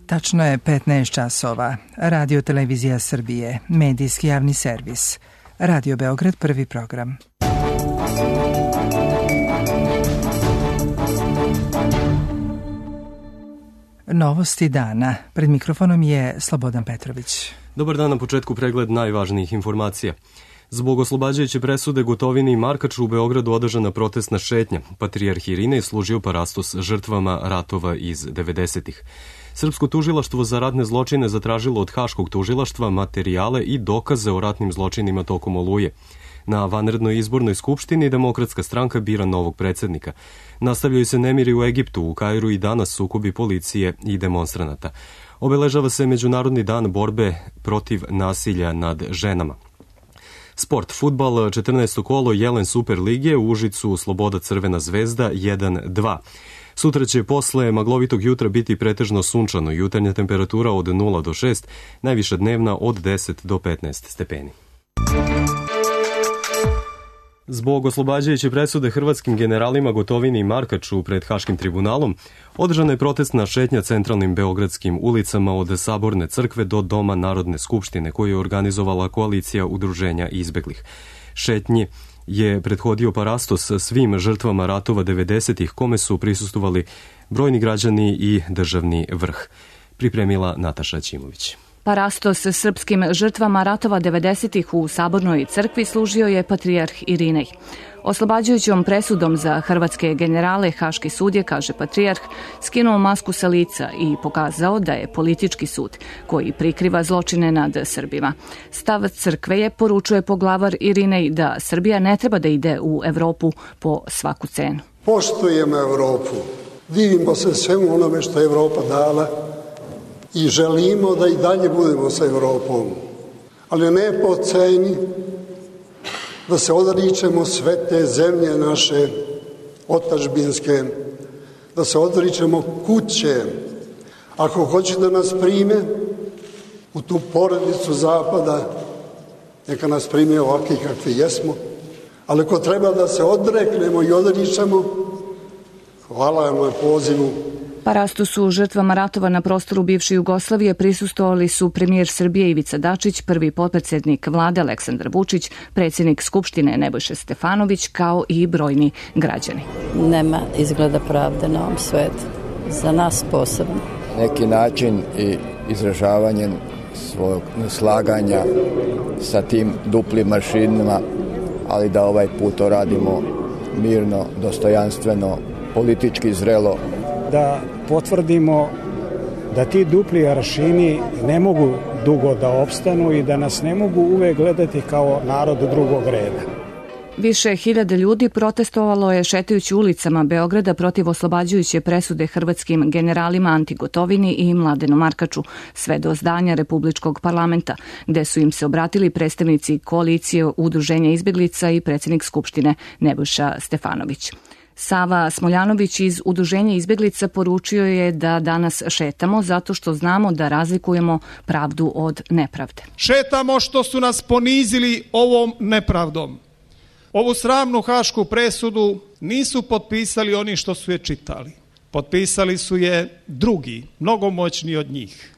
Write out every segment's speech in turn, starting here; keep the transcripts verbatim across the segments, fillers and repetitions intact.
Tačno je petnaest časova. Radio Televizija Srbije, medijski javni servis. Radio Beograd, prvi program. Novosti dana. Pred mikrofonom je Slobodan Petrović. Dobar dan, na početku pregled najvažnijih informacija. Zbog oslobađajuće presude Gotovini i Markaču u Beogradu održana protestna šetnja. Patrijarh Irinej služio parastos žrtvama ratova iz devedesetih. Srpsko tužilaštvo za ratne zločine zatražilo od Haškog tužilaštva materijale i dokaze o ratnim zločinima tokom Oluje. Na vanrednoj izbornoj skupštini Demokratska stranka bira novog predsednika. Nastavljaju se nemiri u Egiptu, u Kairu i danas sukobi policije i demonstranata. Obeležava se Međunarodni dan borbe protiv nasilja nad ženama. Sport, fudbal, četrnaesto kolo Jelen Super lige, u Užicu Sloboda Crvena zvezda jedan dva. Sutra će posle maglovitog jutra biti pretežno sunčano, jutarnja temperatura od nula do šest, najviša dnevna od deset do petnaest stepeni. Zbog oslobađajuće presude hrvatskim generalima Gotovini i Markaču pred Haškim tribunalom, održana je protestna šetnja centralnim beogradskim ulicama od Saborne crkve do Doma Narodne skupštine, koju je organizovala koalicija udruženja izbeglih. Šetnji je prethodio parastos svim žrtvama ratova devedesetih, kome su prisustvovali brojni građani i državni vrh. Pripremila Nataša Ćimović. Parastos srpskim žrtvama ratova devedesetih u Sabornoj crkvi služio je patrijarh Irinej. Oslobađajućom presudom za hrvatske generale Haški sud je, kaže patrijarh, skinuo masku sa lica i pokazao da je politički sud koji prikriva zločine nad Srbima. Stav crkve je, poručuje poglavar Irinej, da Srbija ne treba da ide u Evropu po svaku cenu. Poštujemo Evropu, divimo se svemu onome što je Evropa dala i želimo da i dalje budemo sa Evropom, ali ne po ceni da se odričemo sve te zemlje naše otadžbinske, da se odričemo kuće. Ako hoće da nas prime u tu porodicu Zapada, neka nas prime ovakvi kakvi jesmo, ali ako treba da se odreknemo i odričemo, hvala vam na pozivu. Parastosu žrtvama ratova na prostoru bivše Jugoslavije prisustvovali su premijer Srbije Ivica Dačić, prvi potpredsednik vlade Aleksandar Vučić, predsjednik Skupštine Nebojša Stefanović, kao i brojni građani. Nema izgleda pravde na ovom svetu, za nas posebno. Neki način i izražavanjem svog neslaganja sa tim duplim mašinama, ali da ovaj put to radimo mirno, dostojanstveno, politički zrelo. Da potvrdimo da ti dupli aršini ne mogu dugo da opstanu i da nas ne mogu uvek gledati kao narod drugog reda. Više hiljada ljudi protestovalo je šetajući ulicama Beograda protiv oslobađajuće presude hrvatskim generalima Anti Gotovini i Mladenu Markaču, sve do zdanja Republičkog parlamenta, gde su im se obratili predstavnici koalicije udruženja izbeglica i predsjednik Skupštine Nebojša Stefanović. Sava Smoljanović iz Udruženja izbeglica poručio je da danas šetamo zato što znamo da razlikujemo pravdu od nepravde. Šetamo što su nas ponizili ovom nepravdom. Ovu sramnu hašku presudu nisu potpisali oni što su je čitali. Potpisali su je drugi, mnogo moćni od njih.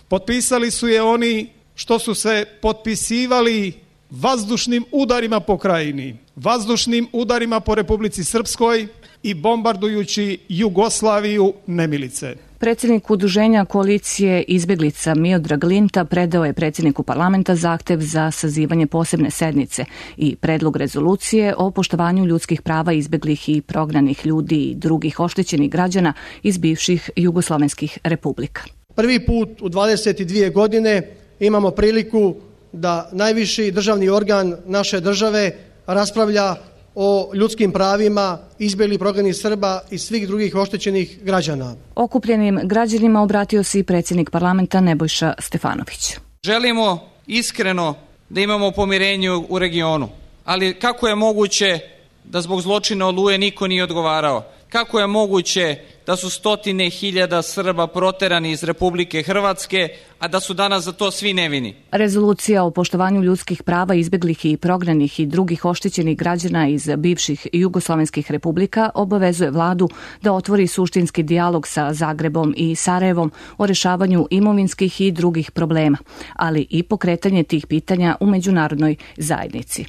Potpisali su je oni što su se potpisivali vazdušnim udarima po krajini, vazdušnim udarima po Republici Srpskoj i bombardujući Jugoslaviju nemilice. Predsjednik udruženja koalicije izbeglica Miodrag Linta predao je predsjedniku parlamenta zahtev za sazivanje posebne sednice i predlog rezolucije o poštovanju ljudskih prava izbeglih i prognanih ljudi i drugih oštećenih građana iz bivših jugoslovenskih republika. Prvi put u dvadeset dvije godine imamo priliku da najviši državni organ naše države raspravlja o ljudskim pravima izbeglih prognanih Srba i svih drugih oštećenih građana. Okupljenim građanima obratio se i predsjednik parlamenta Nebojša Stefanović. Želimo iskreno da imamo pomirenje u regionu, ali kako je moguće da zbog zločina Oluje niko nije odgovarao? kako je moguće da su stotine hiljada Srba proterani iz Republike Hrvatske, a da su danas za to svi nevini. Rezolucija o poštovanju ljudskih prava izbeglih i prognanih i drugih oštećenih građana iz bivših jugoslovenskih republika obavezuje vladu da otvori suštinski dijalog sa Zagrebom i Sarajevom o rešavanju imovinskih i drugih problema, ali i pokretanje tih pitanja u međunarodnoj zajednici.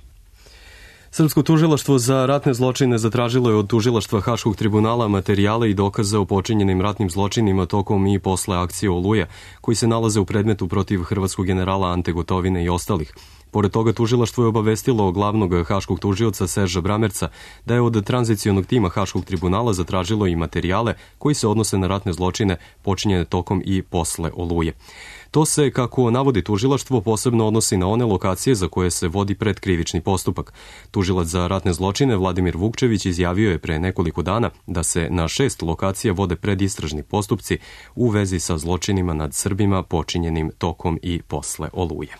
Srpsko tužilaštvo za ratne zločine zatražilo je od tužilaštva Haškog tribunala materijale i dokaze o počinjenim ratnim zločinima tokom i posle akcije Oluja, koji se nalaze u predmetu protiv hrvatskog generala Ante Gotovine i ostalih. Pored toga, tužilaštvo je obavestilo glavnog haškog tužioca Serža Bramerca da je od tranzicionog tima Haškog tribunala zatražilo i materijale koji se odnose na ratne zločine počinjene tokom i posle Oluje. To se, kako navodi tužilaštvo, posebno odnosi na one lokacije za koje se vodi predkrivični postupak. Tužilac za ratne zločine Vladimir Vukčević izjavio je pre nekoliko dana da se na šest lokacija vode predistražni postupci u vezi sa zločinima nad Srbima počinjenim tokom i posle Oluje.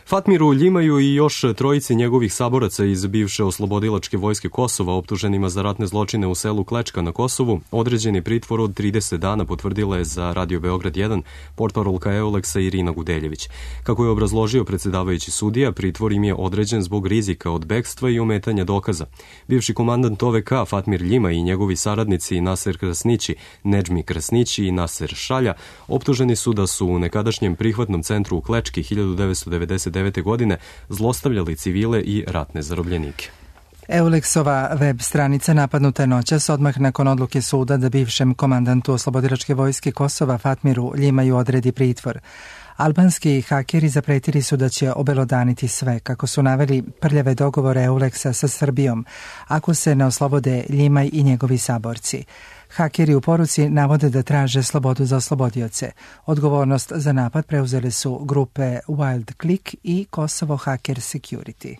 Fatmiru Ljimaju i još trojici njegovih saboraca iz bivše oslobodilačke vojske Kosova optuženima za ratne zločine u selu Klečka na Kosovu određen je pritvor od trideset dana, potvrdila je za Radio Beograd jedan portparolka Euleksa Irina Gudeljević. Kako je obrazložio predsedavajući sudija, pritvor im je određen zbog rizika od bekstva i ometanja dokaza. Bivši komandant O V K Fatmir Ljima i njegovi saradnici Naser Krasnići, Nedžmi Krasnići i Naser Šalja optuženi su da su u nekadašnjem prihvatnom centru u Klečki hiljadu devetsto devedeset devete. godine zlostavljali civile i ratne zarobljenike. Euleksova web stranica napadnuta je noćas odmah nakon odluke suda da bivšem komandantu oslobodilačke vojske Kosova Fatmiru Ljimaju odredi pritvor. Albanski hakeri zapretili su da će obelodaniti sve, kako su naveli prljave dogovore Euleksa sa Srbijom, ako se ne oslobode Ljimaj i njegovi saborci. Hakeri u poruci navode da traže slobodu za oslobodioce. Odgovornost za napad preuzele su grupe Wild Click i Kosovo Hacker Security.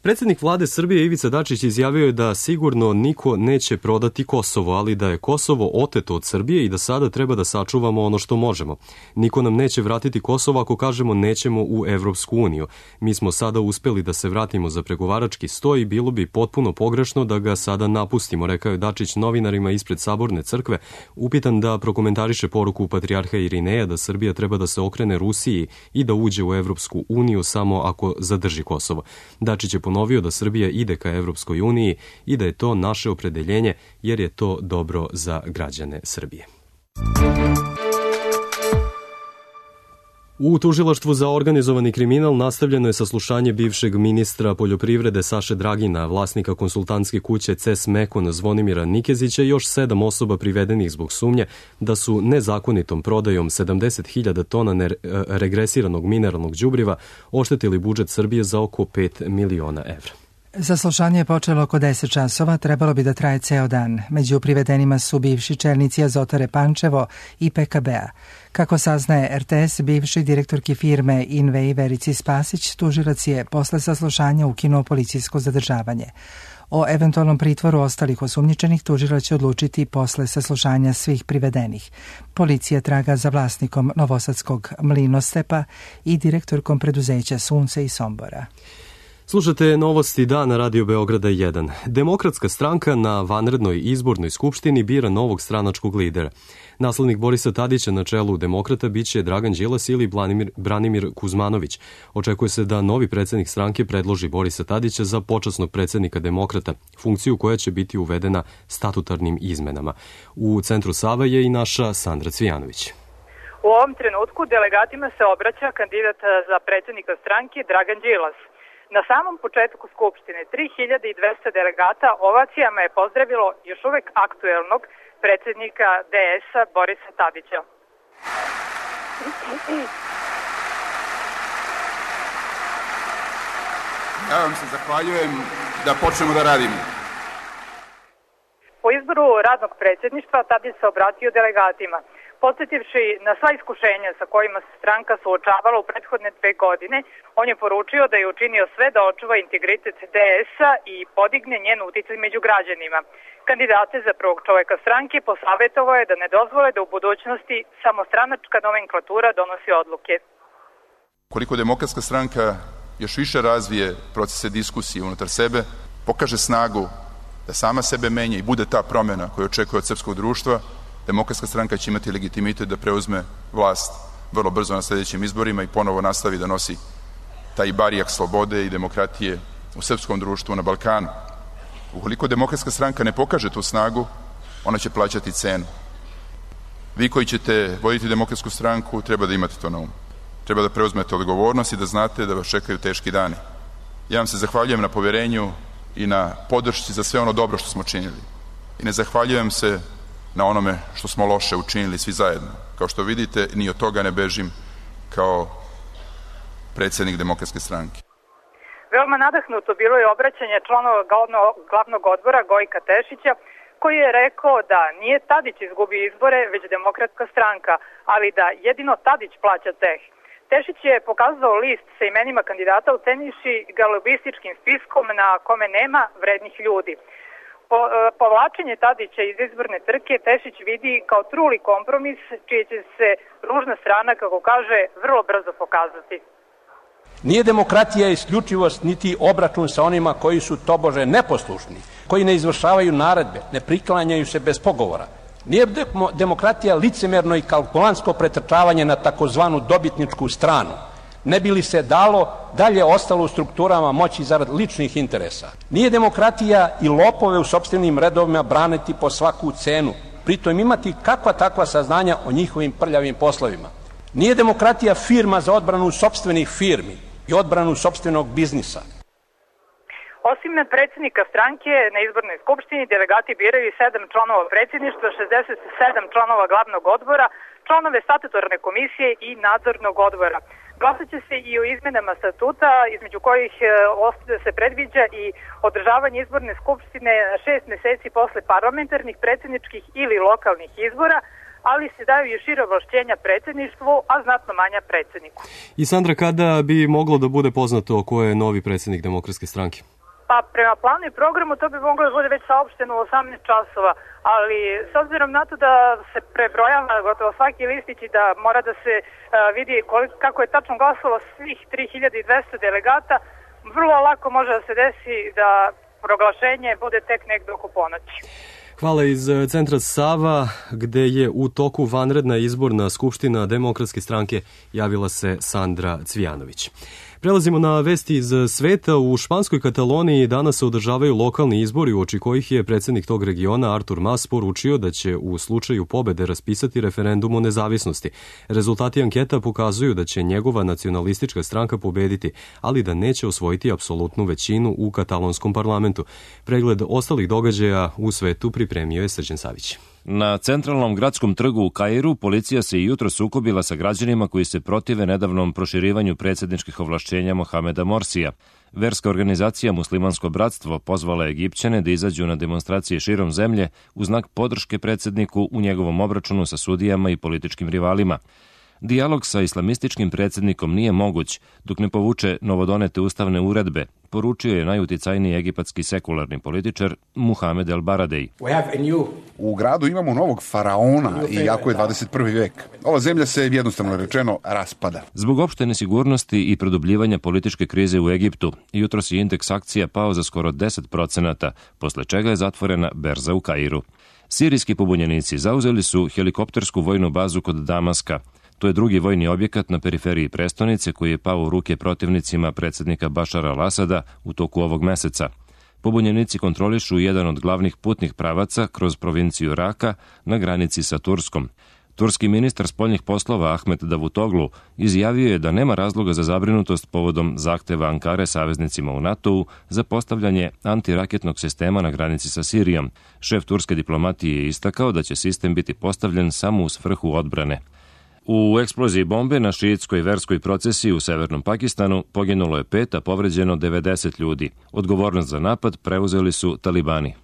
Predsjednik vlade Srbije Ivica Dačić izjavio je da sigurno niko neće prodati Kosovo, ali da je Kosovo oteto od Srbije i da sada treba da sačuvamo ono što možemo. Niko nam neće vratiti Kosovo ako kažemo nećemo u Evropsku uniju. Mi smo sada uspeli da se vratimo za pregovarački sto i bilo bi potpuno pogrešno da ga sada napustimo, rekao je Dačić novinarima ispred Saborne crkve, upitan da prokomentariše poruku patrijarha Irineja da Srbija treba da se okrene Rusiji i da uđe u Evropsku uniju samo ako zadrži Kosovo. Dačić je ponovio da Srbija ide ka Evropskoj uniji i da je to naše opredeljenje jer je to dobro za građane Srbije. U tužilaštvu za organizovani kriminal nastavljeno je saslušanje bivšeg ministra poljoprivrede Saše Dragina, vlasnika konsultantske kuće C E S Mekon Zvonimira Nikezića i još sedam osoba privedenih zbog sumnje da su nezakonitom prodajom sedamdeset hiljada tona regresiranog mineralnog đubriva oštetili budžet Srbije za oko pet miliona evra. Saslušanje je počelo oko deset časova, trebalo bi da traje ceo dan. Među privedenima su bivši čelnici Azotare Pančevo i P K B-a. Kako saznaje R T S, bivši direktorki firme Invej Verici Spasić, tužilac je posle saslušanja ukinuo policijsko zadržavanje. O eventualnom pritvoru ostalih osumnjičenih tužilac će odlučiti posle saslušanja svih privedenih. Policija traga za vlasnikom novosadskog Mlinostepa i direktorkom preduzeća Sunce i Sombora. Slušate novosti dana Radio Beograda jedan. Demokratska stranka na vanrednoj izbornoj skupštini bira novog stranačkog lidera. Naslednik Borisa Tadića na čelu Demokrata biće Dragan Đilas ili Branimir, Branimir Kuzmanović. Očekuje se da novi predsednik stranke predloži Borisa Tadića za počasnog predsednika Demokrata, funkciju koja će biti uvedena statutarnim izmenama. U centru Sava je i naša Sandra Cvijanović. U ovom trenutku delegatima se obraća kandidat za predsednika stranke Dragan Đilas. Na samom početku Skupštine tri hiljade dvesta delegata ovacijama je pozdravilo još uvek aktuelnog predsednika D S-a Borisa Tadića. Ja vam se zahvaljujem da počnemo da radimo. Po izboru radnog predsjedništva Tadić se obratio delegatima. Podsjetivši na sva iskušenja sa kojima se stranka suočavala u prethodne dve godine, on je poručio da je učinio sve da očuva integritet D S-a i podigne njen uticaj među građanima. Kandidate za prvog čoveka stranke posavjetovao je da ne dozvole da u budućnosti samo stranačka nomenklatura donosi odluke. Koliko Demokratska stranka još više razvije procese diskusije unutar sebe, pokaže snagu da sama sebe menja i bude ta promjena koju očekuje od srpskog društva, Demokratska stranka će imati legitimitet da preuzme vlast vrlo brzo na sljedećim izborima i ponovo nastavi da nosi taj barijak slobode i demokratije u srpskom društvu na Balkanu. Ukoliko Demokratska stranka ne pokaže tu snagu, ona će plaćati cenu. Vi koji ćete voditi Demokratsku stranku treba da imate to na umu. Treba da preuzmete odgovornost i da znate da vas čekaju teški dani. Ja vam se zahvaljujem na povjerenju i na podršci za sve ono dobro što smo činili. I ne zahvaljujem se na onome što smo loše učinili svi zajedno. Kao što vidite, ni od toga ne bežim kao predsjednik Demokratske stranke. Veoma nadahnuto bilo je obraćanje članova glavnog odbora Gojka Tešića, koji je rekao da nije Tadić izgubio izbore, već Demokratska stranka, ali da jedino Tadić plaća ceh. Tešić je pokazao list sa imenima kandidata ocenivši ga lobističkim spiskom na kome nema vrednih ljudi. Po, povlačenje Tadića iz izborne trke Tešić vidi kao truli kompromis, čije će se ružna strana, kako kaže, vrlo brzo pokazati. Nije demokratija isključivost niti obračun sa onima koji su tobože neposlušni, koji ne izvršavaju naredbe, ne priklanjaju se bez pogovora. Nije demokratija licemerno i kalkulantsko pretrčavanje na takozvanu dobitničku stranu. Ne bi li se dalo dalje ostalo u strukturama moći zarad ličnih interesa. Nije demokratija i lopove u sopstvenim redovima braniti po svaku cenu, pritom imati kakva takva saznanja o njihovim prljavim poslovima. Nije demokratija firma za odbranu sopstvenih firmi i odbranu sopstvenog biznisa. Osim predsjednika stranke, na izbornoj skupštini delegati biraju sedam članova predsjedništva, šezdeset sedam članova glavnog odbora, članove statutorne komisije i nadzornog odbora. Glasat će se i o izmenama statuta, između kojih se predviđa i održavanje izborne skupštine šest meseci posle parlamentarnih, predsjedničkih ili lokalnih izbora, ali se daju i šira ovlašćenja predsjedništvu, a znatno manja predsjedniku. I Sandra, kada bi moglo da bude poznato ko je novi predsjednik Demokratske stranke? Pa prema planu i programu to bi moglo da bude već saopšteno u osamnaest časova, ali s obzirom na to da se prebrojava gotovo svaki listić i da mora da se uh, vidi koliko, kako je tačno glasalo svih tri hiljade dvesta delegata, vrlo lako može da se desi da proglašenje bude tek negde oko ponoći. Hvala iz centra Sava, gde je u toku vanredna izborna skupština Demokratske stranke, javila se Sandra Cvijanović. Prelazimo na vesti iz sveta. U španskoj Kataloniji danas se održavaju lokalni izbori, uoči kojih je predsjednik tog regiona Artur Mas poručio da će u slučaju pobede raspisati referendum o nezavisnosti. Rezultati anketa pokazuju da će njegova nacionalistička stranka pobediti, ali da neće osvojiti apsolutnu većinu u katalonskom parlamentu. Pregled ostalih događaja u svetu pripremio je Srđan Savić. Na centralnom gradskom trgu u Kairu policija se i jutro sukobila sa građanima koji se protive nedavnom proširivanju predsjedničkih ovlašćenja Mohameda Morsija. Verska organizacija Muslimansko bratstvo pozvala Egipćane da izađu na demonstracije širom zemlje u znak podrške predsjedniku u njegovom obračunu sa sudijama i političkim rivalima. Dijalog sa islamističkim predsjednikom nije moguć dok ne povuče novodonete ustavne uredbe, poručio je najuticajniji egipatski sekularni političar Muhamed El Baradei. U gradu imamo novog faraona, iako je dvadeset prvi vek. Ova zemlja se jednostavno rečeno raspada. Zbog opšte nesigurnosti i produbljivanja političke krize u Egiptu, jutros je indeks akcija pao za skoro deset procenata, posle čega je zatvorena berza u Kairu. Sirijski pobunjenici zauzeli su helikoptersku vojnu bazu kod Damaska. To je drugi vojni objekat na periferiji prestonice koji je pao u ruke protivnicima predsjednika Bašara al-Asada u toku ovog meseca. Pobunjenici kontrolišu jedan od glavnih putnih pravaca kroz provinciju Raka na granici sa Turskom. Turski ministar spoljnih poslova Ahmet Davutoglu izjavio je da nema razloga za zabrinutost povodom zahteva Ankare saveznicima u NATO-u za postavljanje antiraketnog sistema na granici sa Sirijom. Šef turske diplomatije je istakao da će sistem biti postavljen samo u svrhu odbrane. U eksploziji bombe na šiitskoj verskoj procesiji u severnom Pakistanu poginulo je pet, a povređeno devedeset ljudi. Odgovornost za napad preuzeli su talibani.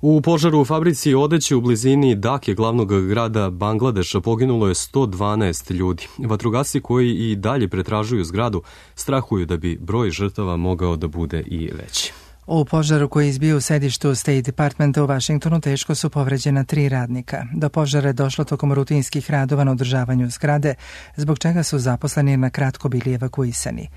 U požaru u fabrici odeće u blizini Dake, glavnog grada Bangladeša, poginulo je sto dvanaest ljudi. Vatrogasci koji i dalje pretražuju zgradu strahuju da bi broj žrtava mogao da bude i veći. U požaru koji je izbio u sedištu State Departmenta u Vašingtonu teško su povređena tri radnika. Do požara je došlo tokom rutinskih radova na održavanju zgrade, zbog čega su zaposleni na kratko bili evakuisani.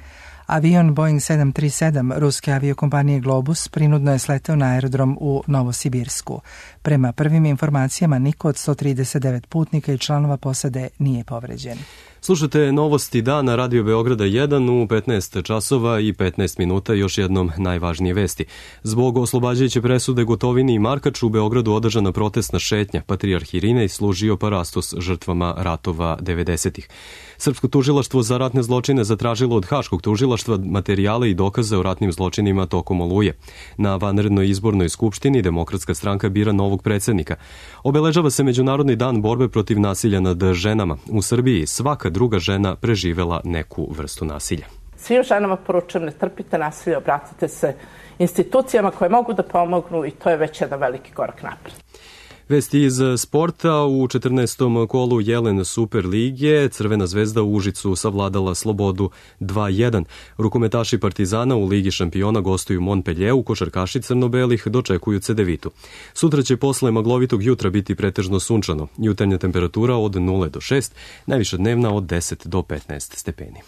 Avion Boeing sedam tri sedam ruske aviokompanije Globus prinudno je sleteo na aerodrom u Novosibirsku. Prema prvim informacijama, niko od sto trideset devet putnika i članova posade nije povređen. Slušajte novosti dana Radio Beograda jedan u petnaest časova i petnaest minuta. Još jednom najvažnije vesti. Zbog oslobađajuće presude Gotovini i Markaču u Beogradu održana protestna šetnja. Patrijarh Irinej služio parastos žrtvama ratova devedesetih. Srpsko tužilaštvo za ratne zločine zatražilo od Haškog tužilaštva materijale i dokaze o ratnim zločinima tokom Oluje. Na vanrednoj izbornoj skupštini Demokratska stranka bira novog predsednika. Obeležava se Međunarodni dan borbe protiv nasilja nad ženama. U Srbiji svaka druga žena preživela neku vrstu nasilja. Svim ženama poručujem, ne trpite nasilje, obratite se institucijama koje mogu da pomognu i to je već jedan veliki korak napred. Vesti iz sporta. U četrnaestom kolu Jelen Super lige Crvena zvezda u Užicu savladala Slobodu dva jedan. Rukometaši Partizana u Ligi šampiona gostuju Montpellieru, košarkaši crno-belih dočekuju Cedevitu. Sutra će posle maglovitog jutra biti pretežno sunčano. Jutarnja temperatura od nula do šest, najviša dnevna od deset do petnaest stepeni.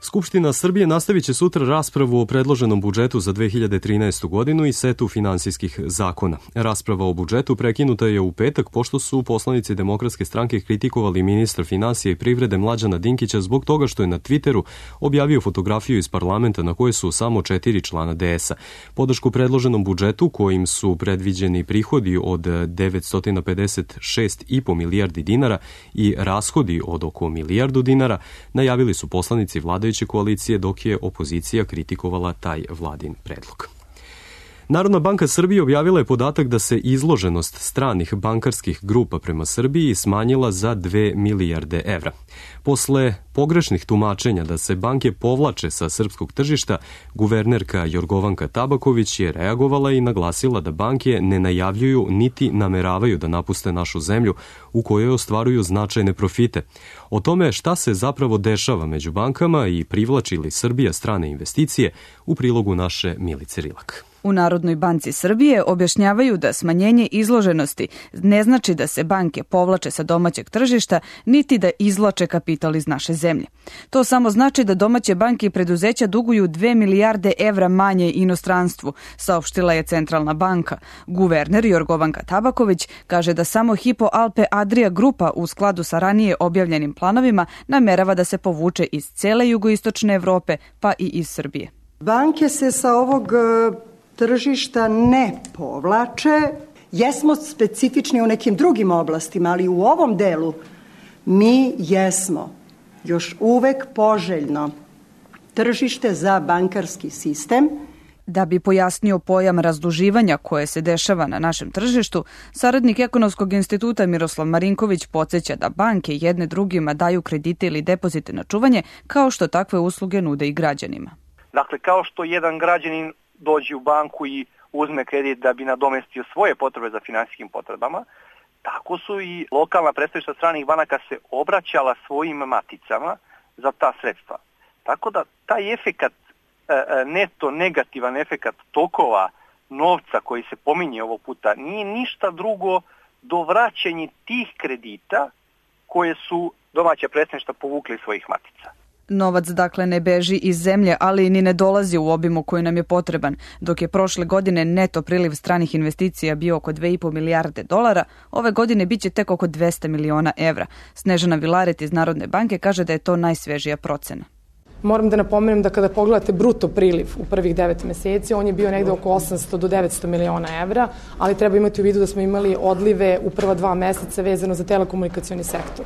Skupština Srbije nastavit će sutra raspravu o predloženom budžetu za dve hiljade trinaestu. godinu i setu finansijskih zakona. Rasprava o budžetu prekinuta je u petak pošto su poslanici Demokratske stranke kritikovali ministra finansija i privrede Mlađana Dinkića zbog toga što je na Twitteru objavio fotografiju iz parlamenta na kojoj su samo četiri člana D S-a. Podršku predloženom budžetu, kojim su predviđeni prihodi od devetsto pedeset šest i po milijardi dinara i rashodi od oko milijardu dinara, najavili su poslanici vladajuće koalicije, dok je opozicija kritikovala taj vladin predlog. Narodna banka Srbije objavila je podatak da se izloženost stranih bankarskih grupa prema Srbiji smanjila za dve milijarde evra. Posle pogrešnih tumačenja da se banke povlače sa srpskog tržišta, guvernerka Jorgovanka Tabaković je reagovala i naglasila da banke ne najavljuju niti nameravaju da napuste našu zemlju u kojoj ostvaruju značajne profite. O tome šta se zapravo dešava među bankama i privlači li Srbija strane investicije, u prilogu naše Milice Rilak. U Narodnoj banci Srbije objašnjavaju da smanjenje izloženosti ne znači da se banke povlače sa domaćeg tržišta, niti da izvlače kapital iz naše zemlje. To samo znači da domaće banke i preduzeća duguju dve milijarde evra manje inostranstvu, saopštila je Centralna banka. Guverner Jorgovanka Tabaković kaže da samo Hypo Alpe Adria grupa u skladu sa ranije objavljenim planovima namerava da se povuče iz cele jugoistočne Evrope, pa i iz Srbije. Banke se sa ovog tržišta ne povlače. Jesmo specifični u nekim drugim oblastima, ali u ovom delu mi jesmo još uvek poželjno tržište za bankarski sistem. Da bi pojasnio pojam razduživanja koje se dešava na našem tržištu, saradnik Ekonomskog instituta Miroslav Marinković podsjeća da banke jedne drugima daju kredite ili depozite na čuvanje, kao što takve usluge nude i građanima. Dakle, kao što jedan građanin dođe u banku i uzme kredit da bi nadomestio svoje potrebe za finansijskim potrebama, tako su i lokalna predstavništva stranih banaka se obraćala svojim maticama za ta sredstva. Tako da taj efekat, neto negativan efekat tokova novca koji se pominje ovog puta nije ništa drugo do vraćanja tih kredita koje su domaća predstavništva povukli svojih matica. Novac dakle ne beži iz zemlje, ali ni ne dolazi u obimu koji nam je potreban. Dok je prošle godine neto priliv stranih investicija bio oko dve i po milijarde dolara, ove godine biće tek oko dvesta miliona evra. Snežana Vilaret iz Narodne banke kaže da je to najsvežija procena. Moram da napomenem da kada pogledate bruto priliv u prvih devet meseci, on je bio negde oko osamsto do devetsto miliona evra, ali treba imati u vidu da smo imali odlive u prva dva meseca vezano za telekomunikacioni sektor.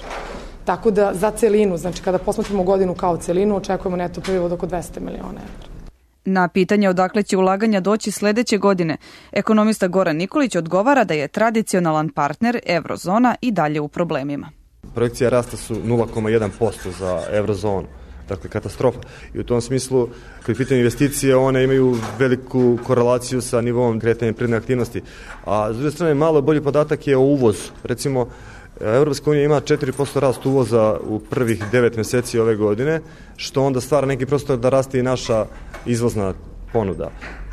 Tako da za celinu, znači kada posmatramo godinu kao celinu, očekujemo neto priliv od oko dvesta miliona evra. Na pitanje odakle će ulaganja doći sledeće godine, ekonomista Goran Nikolić odgovara da je tradicionalan partner Evrozona i dalje u problemima. Projekcija rasta su nula zarez jedan posto za Evrozonu. Dakle, katastrofa. I u tom smislu, kad pitanje investicije, one imaju veliku korelaciju sa nivom kretanja privredne aktivnosti. A s druge strane, malo bolji podatak je o uvozu. Recimo, Evropska unija ima četiri posto rast uvoza u prvih devet meseci ove godine, što onda stvara neki prostor da raste i naša izvozna ponuda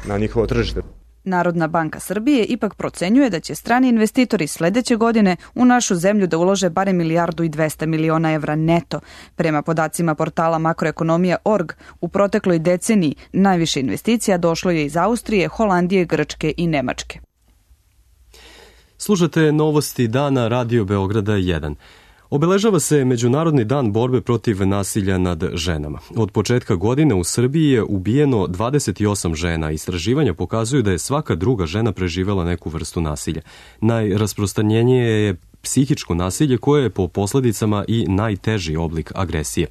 na njihovo tržište. Narodna banka Srbije ipak procenjuje da će strani investitori sledeće godine u našu zemlju da ulože barem milijardu i dvesta miliona evra neto. Prema podacima portala makroekonomija tačka org, u protekloj deceniji najviše investicija došlo je iz Austrije, Holandije, Grčke i Nemačke. Slušate novosti dana Radio Beograda jedan. Obeležava se Međunarodni dan borbe protiv nasilja nad ženama. Od početka godine u Srbiji je ubijeno dvadeset osam žena. Istraživanja pokazuju da je svaka druga žena preživela neku vrstu nasilja. Najrasprostranjenije je psihičko nasilje koje je po posledicama i najteži oblik agresije.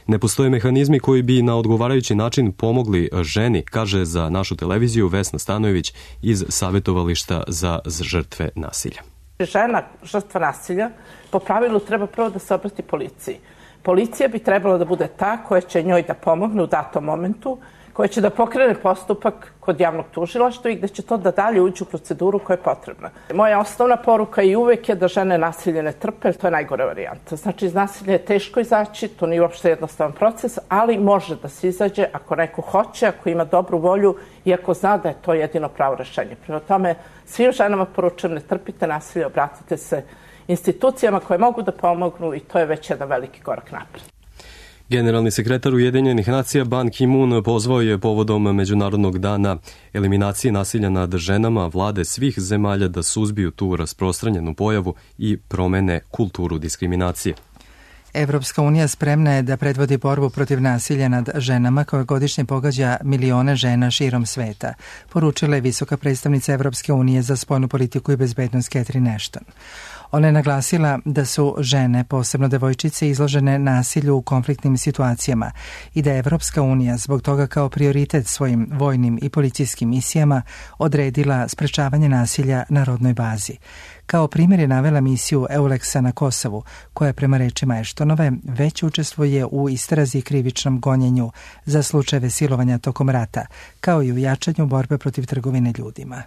Ne postoje mehanizmi koji bi na odgovarajući način pomogli ženi, kaže za našu televiziju Vesna Stanojević iz Savetovališta za žrtve nasilja. Žena, žrtva nasilja, po pravilu treba prvo da se obrati policiji. Policija bi trebala da bude ta koja će njoj da pomogne u datom momentu, koja će da pokrene postupak kod javnog tužilaštva i gde će to da dalje uđe u proceduru koja je potrebna. Moja osnovna poruka i uvek je da žene nasilje ne trpe, jer to je najgore varijanta. Znači, iz nasilja je teško izaći, to nije uopšte jednostavan proces, ali može da se izađe ako neko hoće, ako ima dobru volju i ako zna da je to jedino pravo rešenje. Prema tome, svim ženama poručujem, ne trpite nasilje, obratite se institucijama koje mogu da pomognu i to je već jedan veliki korak napred. Generalni sekretar Ujedinjenih nacija Ban Ki-moon pozvao je povodom Međunarodnog dana eliminacije nasilja nad ženama vlade svih zemalja da suzbiju tu rasprostranjenu pojavu i promene kulturu diskriminacije. Evropska unija spremna je da predvodi borbu protiv nasilja nad ženama koje godišnje pogađa milione žena širom sveta, poručila je visoka predstavnica Evropske unije za spoljnu politiku i bezbednost Catherine Ashton. Ona je naglasila da su žene, posebno devojčice, izložene nasilju u konfliktnim situacijama i da je Evropska unija zbog toga kao prioritet svojim vojnim i policijskim misijama odredila sprečavanje nasilja na rodnoj bazi. Kao primjer je navela misiju Euleksa na Kosovu, koja prema rečima Eštonove već učestvuje u istrazi i krivičnom gonjenju za slučajeve silovanja tokom rata, kao i u jačanju borbe protiv trgovine ljudima.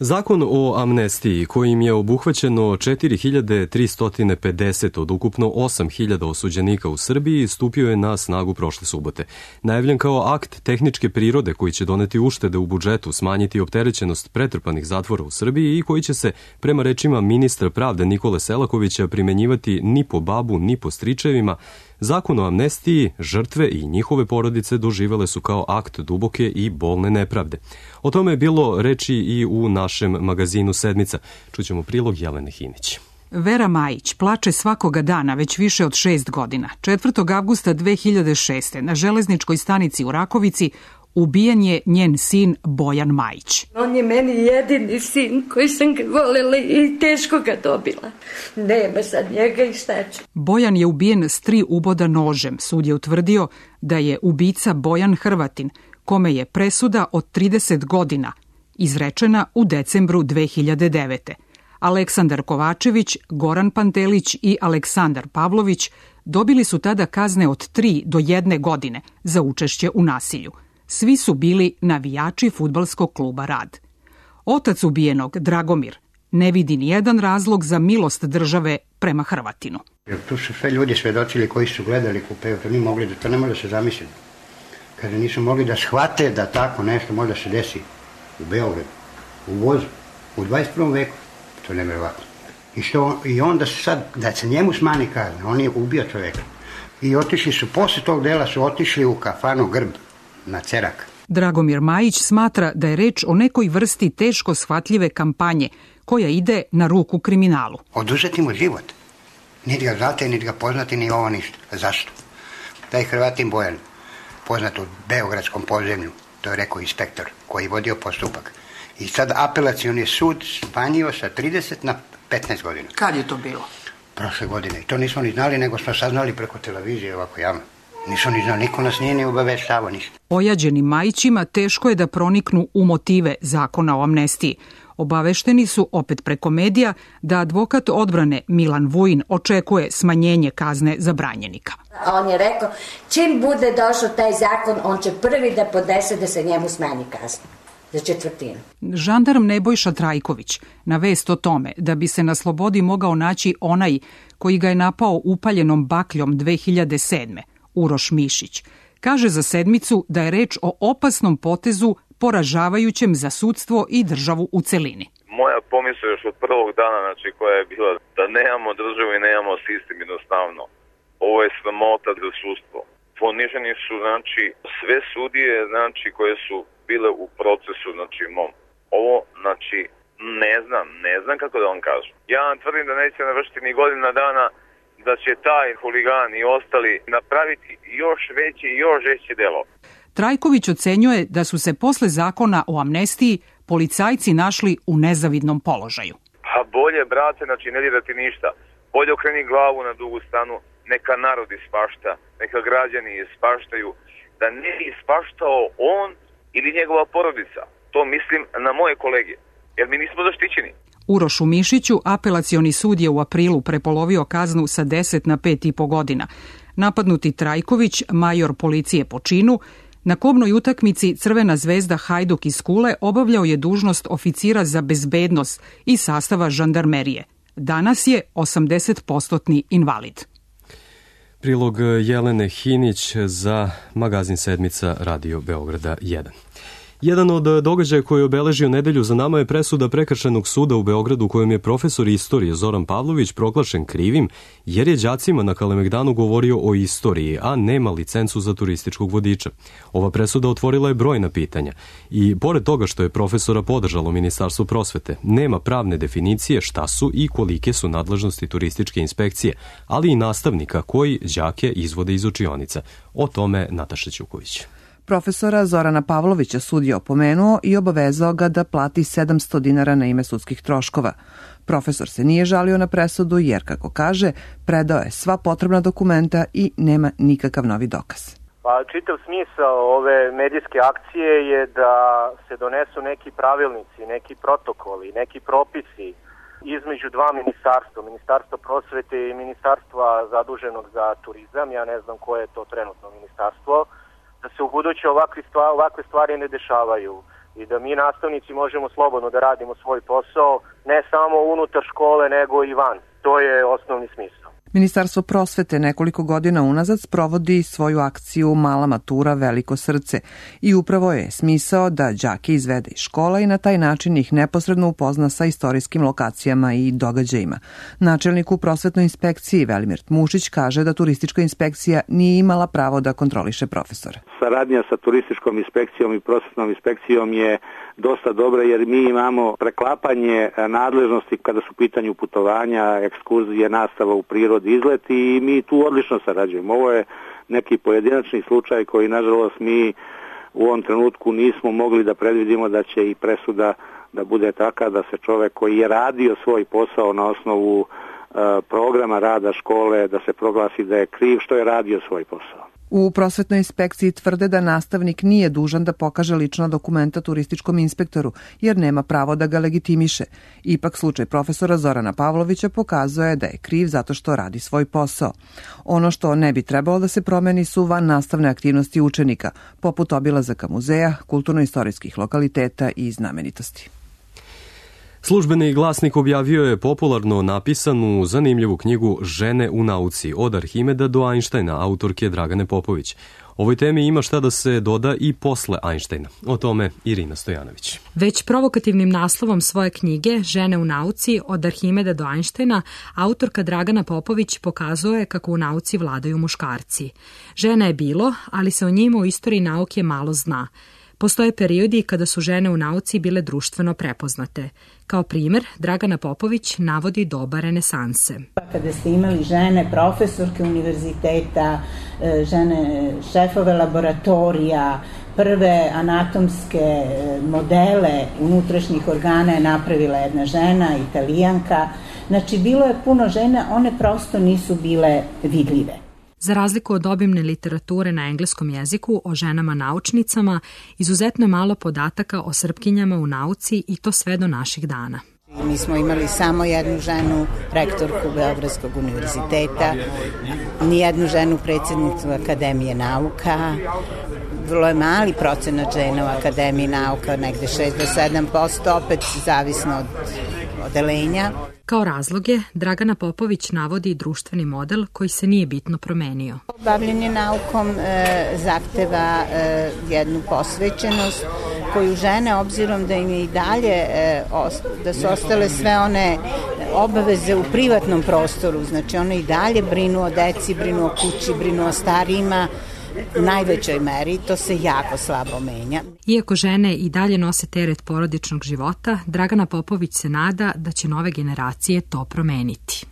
Zakon o amnestiji, kojim je obuhvaćeno četiri hiljade tristo pedeset od ukupno osam hiljada osuđenika u Srbiji, stupio je na snagu prošle subote. Najavljen kao akt tehničke prirode koji će doneti uštede u budžetu, smanjiti opterećenost pretrpanih zatvora u Srbiji i koji će se, prema rečima ministra pravde Nikole Selakovića, primenjivati ni po babu, ni po stričevima, Zakon o amnestiji žrtve i njihove porodice doživele su kao akt duboke i bolne nepravde. O tome je bilo reči i u našem magazinu Sedmica. Čućemo prilog Jelene Hinić. Vera Majić plače svakoga dana već više od šest godina. četvrtog avgusta dve hiljade šeste. na železničkoj stanici u Rakovici ubijen je njen sin Bojan Majić. On je meni jedini sin koji sam ga voljela i teško ga dobila. Nema sad njega i šta će. Bojan je ubijen s tri uboda nožem. Sud je utvrdio da je ubica Bojan Hrvatin, kome je presuda od trideset godina izrečena u decembru dve hiljade devete. Aleksandar Kovačević, Goran Pantelić i Aleksandar Pavlović dobili su tada kazne od tri do jedne godine za učešće u nasilju. Svi su bili navijači fudbalskog kluba Rad. Otac ubijenog, Dragomir, ne vidi nijedan razlog za milost države prema Hrvatinu. Jer tu su sve ljudi svedočili koji su gledali kupeu, to nije mogli da to ne može da se zamisli. Kada nisu mogli da shvate da tako nešto može da se desi u Beogradu, u vozu, u dvadeset prvom veku, to je nevjerovatno. I, što, I onda sad, da se njemu smani kazna, on je ubio čoveka. I otišli su, posle tog dela su otišli u kafanu Grb, na Cerak. Dragomir Majić smatra da je reč o nekoj vrsti teško shvatljive kampanje koja ide na ruku kriminalu. Oduzeti mu život. Niti ga znate, niti ga poznati, ni ovo ništa. Zašto? Taj Hrvatin Bojan, poznat u beogradskom podzemlju, to je rekao inspektor koji je vodio postupak. I sad apelacioni sud smanjio sa trideset na petnaest godina. Kad je to bilo? Prošle godine. I to nismo ni znali, nego smo saznali preko televizije ovako javno. Nisu ni znali, niko nas nije ni obaveštavao ništa. Ojađenim Majićima teško je da proniknu u motive zakona o amnestiji. Obavešteni su, opet preko medija, da advokat odbrane Milan Vujin očekuje smanjenje kazne za branjenika. On je rekao, čim bude došao taj zakon, on će prvi da podese da se njemu smanji kazna. Za četvrtinu. Žandarm Nebojša Trajković na vest o tome da bi se na slobodi mogao naći onaj koji ga je napao upaljenom bakljom dve hiljade sedme. Uroš Mišić, kaže za Sedmicu da je reč o opasnom potezu poražavajućem za sudstvo i državu u celini. Moja pomisla još od prvog dana, znači, koja je bila da nemamo državu i nemamo sistem jednostavno. Ovo je sramota za sudstvo. Poniženi su, znači, sve sudije, znači, koje su bile u procesu, znači, mom. Ovo, znači, ne znam, ne znam kako da vam kažem. Ja vam tvrdim da neće navršiti ni godina dana da će taj huligan i ostali napraviti još veće i još veće delo. Trajković ocenjuje da su se posle zakona o amnestiji policajci našli u nezavidnom položaju. Pa bolje, brate, znači ne dirati ništa. Bolje okreni glavu na dugu stranu, neka narod ispašta, neka građani ispaštaju, da ne ispaštao on ili njegova porodica. To mislim na moje kolege, jer mi nismo zaštićeni. Urošu Mišiću apelacioni sud je u aprilu prepolovio kaznu sa deset na pet i po godina. Napadnuti Trajković, major policije po činu, na kobnoj utakmici Crvena zvezda Hajduk iz Kule obavljao je dužnost oficira za bezbednost i sastava žandarmerije. Danas je osamdesetprocentni invalid. Prilog Jelene Hinić za magazin Sedmica Radio Beograda jedan. Jedan od događaja koji je obeležio nedelju za nama je presuda Prekršajnog suda u Beogradu kojom je profesor istorije Zoran Pavlović proglašen krivim jer je đacima na Kalemegdanu govorio o istoriji, a nema licencu za turističkog vodiča. Ova presuda otvorila je brojna pitanja i pored toga što je profesora podržalo Ministarstvo prosvete, nema pravne definicije šta su i kolike su nadležnosti turističke inspekcije, ali i nastavnika koji đake izvode iz učionica. O tome Nataša Ćuković. Profesora Zorana Pavlovića sud je opomenuo i obavezao ga da plati sedamsto dinara na ime sudskih troškova. Profesor se nije žalio na presudu jer, kako kaže, predao je sva potrebna dokumenta i nema nikakav novi dokaz. Pa čitav smisao ove medijske akcije je da se donesu neki pravilnici, neki protokoli, neki propisi između dva ministarstva, Ministarstva prosvete i Ministarstva zaduženog za turizam. Ja ne znam koje je to trenutno ministarstvo, da se u buduće ovakve stvari, ovakve stvari ne dešavaju i da mi nastavnici možemo slobodno da radimo svoj posao, ne samo unutar škole, nego i van. To je osnovni smisao. Ministarstvo prosvete nekoliko godina unazad sprovodi svoju akciju Mala matura, veliko srce i upravo je smisao da đake izvede iz škola i na taj način ih neposredno upozna sa istorijskim lokacijama i događajima. Načelnik u prosvetnoj inspekciji Velimir Tmušić kaže da turistička inspekcija nije imala pravo da kontroliše profesora. Saradnja sa turističkom inspekcijom i prosvetnom inspekcijom je dosta dobra jer mi imamo preklapanje nadležnosti kada su u pitanju putovanja, ekskurzije, nastava u prirodi, izlet i mi tu odlično sarađujemo. Ovo je neki pojedinačni slučaj koji nažalost mi u ovom trenutku nismo mogli da predvidimo da će i presuda da bude taka da se čovek koji je radio svoj posao na osnovu uh, programa rada škole da se proglasi da je kriv što je radio svoj posao. U prosvetnoj inspekciji tvrde da nastavnik nije dužan da pokaže lična dokumenta turističkom inspektoru, jer nema pravo da ga legitimiše. Ipak slučaj profesora Zorana Pavlovića pokazuje da je kriv zato što radi svoj posao. Ono što ne bi trebalo da se promeni su van nastavne aktivnosti učenika, poput obilazaka muzeja, kulturno-istorijskih lokaliteta i znamenitosti. Službeni glasnik objavio je popularno napisanu zanimljivu knjigu Žene u nauci od Arhimeda do Einsteina, autorke Dragane Popović. Ovoj temi ima šta da se doda i posle Einsteina. O tome Irina Stojanović. Već provokativnim naslovom svoje knjige Žene u nauci od Arhimeda do Einsteina, autorka Dragana Popović pokazuje kako u nauci vladaju muškarci. Žena je bilo, ali se o njima u istoriji nauke malo zna. Postoje periodi kada su žene u nauci bile društveno prepoznate. Kao primer, Dragana Popović navodi doba renesanse. Kada ste imali žene profesorke univerziteta, žene šefove laboratorija, prve anatomske modele unutrašnjih organa je napravila jedna žena, Italijanka. Znači, bilo je puno žena, one prosto nisu bile vidljive. Za razliku od obimne literature na engleskom jeziku o ženama naučnicama, izuzetno je malo podataka o Srpkinjama u nauci i to sve do naših dana. Mi smo imali samo jednu ženu rektorku Beogradskog univerziteta, nijednu ženu predsjednicu Akademije nauka, vrlo je mali procenat žena u Akademiji nauka, negde šest do sedam posto, opet zavisno od odelenja. Kao razloge, Dragana Popović navodi društveni model koji se nije bitno promenio. Bavljenje naukom e, zahteva e, jednu posvećenost koju žene, obzirom da im je i dalje, da su ostale sve one obaveze u privatnom prostoru, znači one i dalje brinu o deci, brinu o kući, brinu o starijima, u najvećoj meri, to se jako slabo menja. Iako žene i dalje nose teret porodičnog života, Dragana Popović se nada da će nove generacije to promeniti.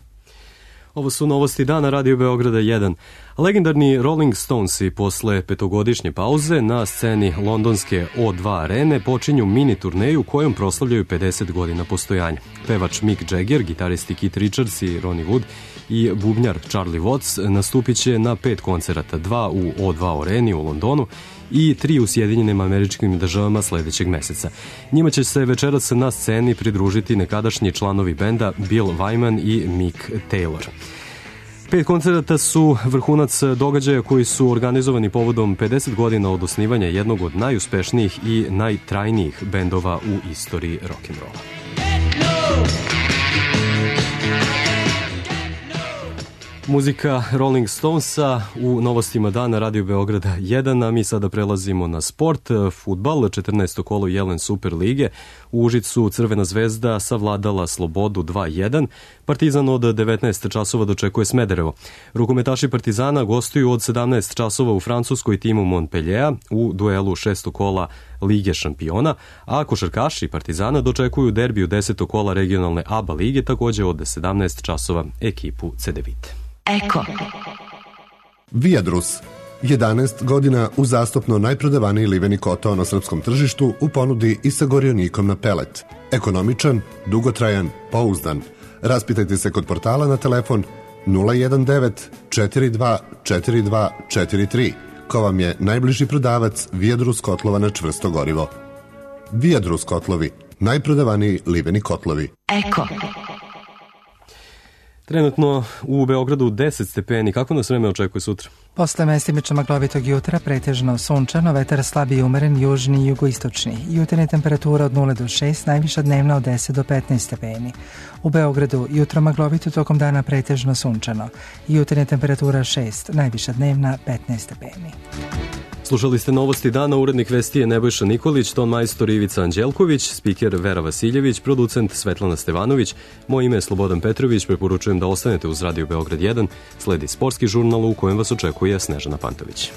Ovo su novosti dana Radio Beograda jedan. Legendarni Rolling Stonesi posle petogodišnje pauze na sceni londonske O dva arene počinju mini turneju kojom proslavljaju pedeset godina postojanja. Pevač Mick Jagger, gitaristi Keith Richards i Ronnie Wood i bubnjar Charlie Watts nastupit će na pet koncerata, dva u O dva areni u Londonu i tri u Sjedinjenim Američkim Državama sledećeg meseca. Njima će se večeras na sceni pridružiti nekadašnji članovi benda Bill Wyman i Mick Taylor. Pet koncerata su vrhunac događaja koji su organizovani povodom pedeset godina od osnivanja jednog od najuspešnijih i najtrajnijih bendova u istoriji rock'n'rolla. Muzika Rolling Stonesa u novostima dana Radio Beograda jedan, a mi sada prelazimo na sport. Fudbal, četrnaesto kolo Jelen Super lige. U Užicu Crvena zvezda savladala Slobodu dva jedan. Partizan od devetnaest časova dočekuje Smederevo. Rukometaši Partizana gostuju od sedamnaest časova u Francuskoj timu Montpellier u duelu šestog kola Lige šampiona, a košarkaši Partizana dočekuju derbiju desetog kola regionalne A B A lige takođe od sedamnaest časova ekipu Cedevite. Eko. Viadrus. jedanaest godina uzastopno najprodavaniji liveni kotao na srpskom tržištu u ponudi i sa gorionikom na pelet. Ekonomičan, dugotrajan, pouzdan. Raspitajte se kod portala na telefon nula jedan devet četiri dva četiri dva četiri tri, ko vam je najbliži prodavac Viadrus kotlova na čvrsto gorivo. Viadrus kotlovi, najprodavaniji liveni kotlovi. Eko. Trenutno u Beogradu deset stepeni. Kako nas vreme očekuje sutra? Posle mestimično maglovitog jutra pretežno sunčano, vetar slab i umeren, južni i jugoistočni. Jutarnja temperatura od nula do šest, najviša dnevna od deset do petnaest stepeni. U Beogradu jutro maglovito, tokom dana pretežno sunčano. Jutarnja temperatura šest, najviša dnevna petnaest stepeni. Slušali ste novosti dana, urednik vesti je Nebojša Nikolić, ton majstor Ivica Anđelković, spiker Vera Vasiljević, producent Svetlana Stevanović. Moje ime je Slobodan Petrović, preporučujem da ostanete uz Radio Beograd jedan, sledi sportski žurnal u kojem vas očekuje Snežana Pantović.